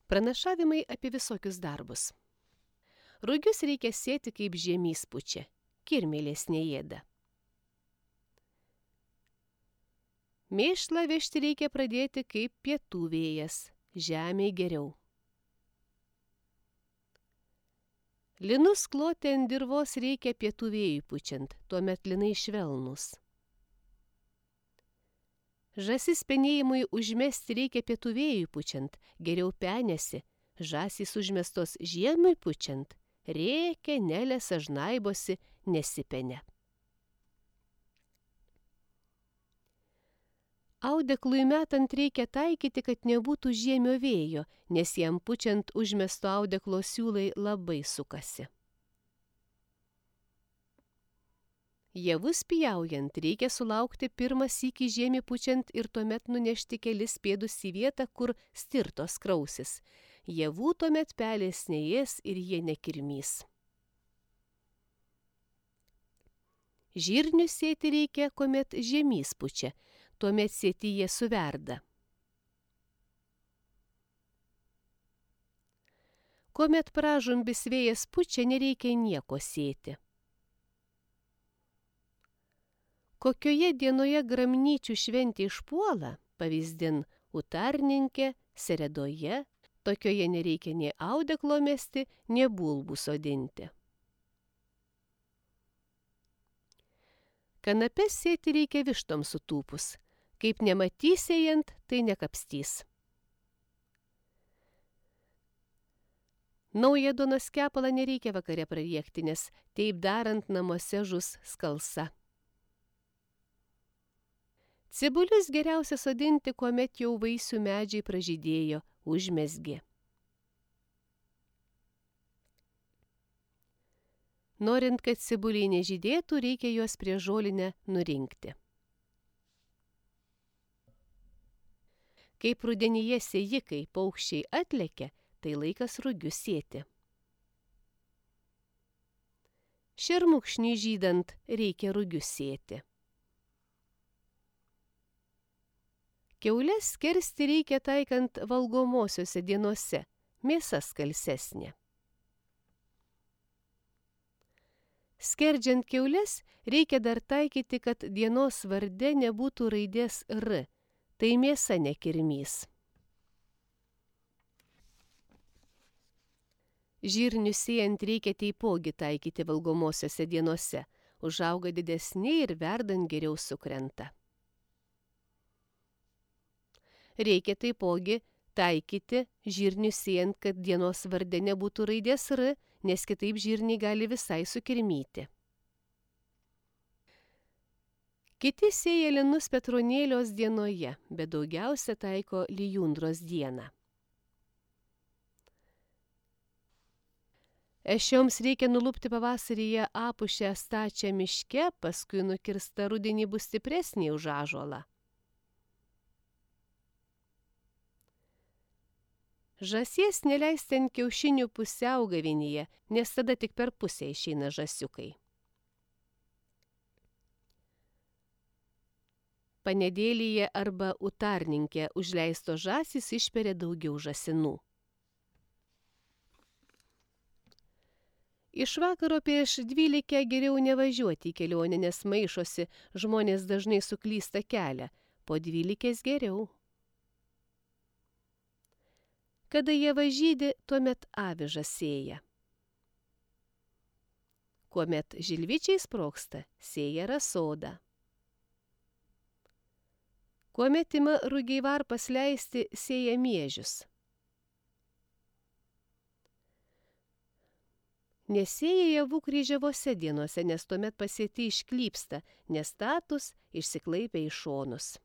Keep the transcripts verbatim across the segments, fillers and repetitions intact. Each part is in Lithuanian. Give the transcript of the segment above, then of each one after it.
Pranašavimai apie visokius darbus. Rugius reikia sėti kaip žiemys pučia, kirmėlės neėda. Mėšlą vežti reikia pradėti kaip pietų vėjas, žemei geriau. Linus kloti ant dirvos reikia pietų vėjui pučiant, tuomet linai švelnūs. Žąsis penėjimui užmesti reikia pietų vėjui pučiant, geriau penėsi, žąsys užmestos žiemui pučiant, rėkia, nelesa, žnaibosi, nesipenė. Audeklui metant reikia taikyti, kad nebūtų žiemio vėjo, nes jam pučiant užmesto audeklo siūlai labai sukasi. Javus pjaujant reikia sulaukti pirmą sykį žiemį pučiant ir tuomet nunešti kelis pėdus į vietą, kur stirtos krausis. Javų tuomet pelės neės ir jie nekirmys. Žirnius sėti reikia, kuomet žiemys pučia, tuomet sėti jie suverda. Kuomet pražumbis vėjas pučia, nereikia nieko sėti. Kokioje dienoje gramnyčių šventė išpuola, pavyzdin, utarninkė, seredoje, tokioje nereikia nei audeklo mesti, nei bulbų sodinti. Kanapes sėti reikia vištom sutūpus, kaip nematys ėjant, tai nekapstys. Naują duonos kepalą nereikia vakare prariekti, nes taip darant namuose žus skalsa. Cibulius geriausia sodinti, kuomet jau vaisių medžiai pražydėjo, užmezgė. Norint, kad cibuliai nežydėtų, reikia juos prie žolinę nurinkti. Kaip rudenyje sėjikai paukščiai atlekia, tai laikas rugius sėti. Šermukšnį žydant reikia rugius sėti. Kiaules skersti reikia taikant valgomosiose dienose, mėsa skalsesnė. Skerdžiant kiaules reikia dar taikyti, kad dienos varde nebūtų raidės R, tai mėsa nekirmys. Žirnius sėjant reikia taipogi taikyti valgomosiose dienose, užauga didesni ir verdant geriau sukrenta. Reikia taipogi taikyti žirnius sėjant, kad dienos varde nebūtų raidės R, nes kitaip žirniai gali visai sukirmyti. Kiti sėja linus Petronėlios dienoje, bet daugiausia taiko lijundros dieną. Ešioms reikia nulupti pavasaryje apušę stačią miške, paskui nukirsta rudenį bus stipresnė už ąžuolą. Žąsies neleisti ant kiaušinių pusiaugavinyje, nes tada tik per pusę išeina žąsiukai. Panedėlyje arba utarninkė užleisto žąsys išperia daugiau žąsinų. Iš vakaro prieš dvylikę geriau nevažiuoti į kelionę, nes maišosi, žmonės dažnai suklysta kelią, po dvylikės geriau. Kada jie važydė, tuomet avižas sėja. Kuomet žilvičiai sproksta, sėja rasodą. Kuomet ima rugiai varpas leisti, sėja miežius. Nesėja javų kryžiavose dienose, nes tuomet pasėti išklypsta, nes status išsiklaipia į šonus.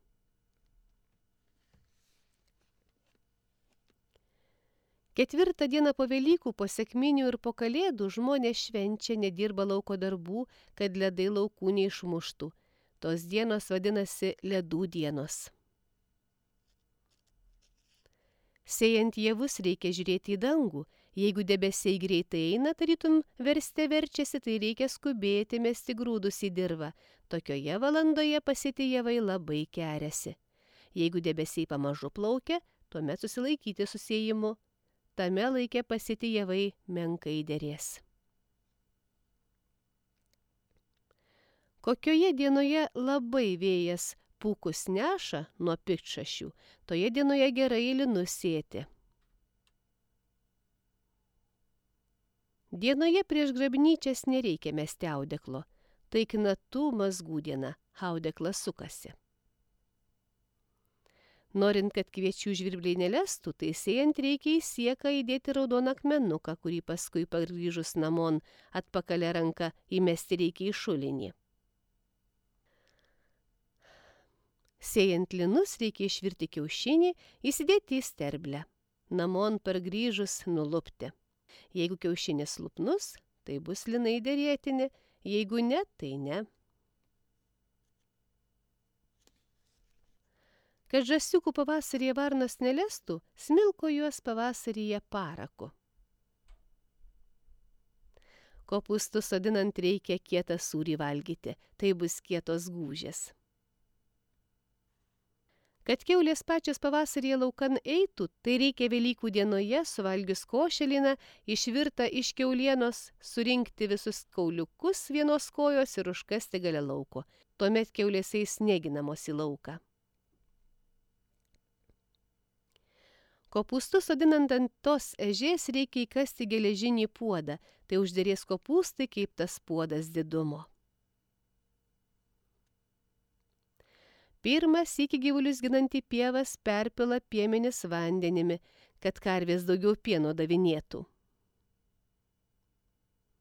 Ketvirtą dieną po Velykų, po sekminių ir po Kalėdų žmonės švenčia, nedirba lauko darbų, kad ledai laukų neišmuštų. Tos dienos vadinasi ledų dienos. Sėjant javus reikia žiūrėti į dangų. Jeigu debesiai greitai eina, tarytum verste verčiasi, tai reikia skubėti mesti grūdus į dirvą. Tokioje valandoje pasėti javai labai keriasi. Jeigu debesiai pamažu plaukia, tuomet susilaikyti su sėjimu. tame laike pasėti javai menkai derės. Kokioje dienoje labai vėjas pūkus neša nuo piktšašių, toje dienoje gerai linus sėti. Dienoje prieš grabnyčias nereikia mesti audeklo, tai knatų mazgų diena, audeklas sukasi. Norint, kad kviečių žvirbliai nelestų, tai sėjant reikia į sieką įdėti raudoną akmenuką, kurį paskui pargrįžus namon atpakalę ranką įmesti reikia į šulinį. Sėjant linus reikia išvirti kiaušinį, įsidėti į sterblę. Namon pargrįžus nulupti. Jeigu kiaušinis lupnus, tai bus linai derėtini, jeigu ne, tai ne. Kad žąsiukų pavasaryje varnos nelestų, smilko juos pavasaryje paraku. Kopūstus sodinant reikia kietą sūrį valgyti, tai bus kietos gūžės. Kad kiaulės pačios pavasaryje laukan eitų, tai reikia Velykų dienoje, suvalgius košeliną, išvirtą iš kiaulienos, surinkti visus kauliukus vienos kojos ir užkasti gale lauko. Tuomet kiaulės eis neginamos į lauką. Kopūstus sodinant ant tos ežės reikia įkasti geležinį puodą, tai užderės kopūstai kaip tas puodas didumo. Pirmas iki gyvulius ginantį pievas perpila piemenis vandenimi, kad karvės daugiau pieno davinėtų.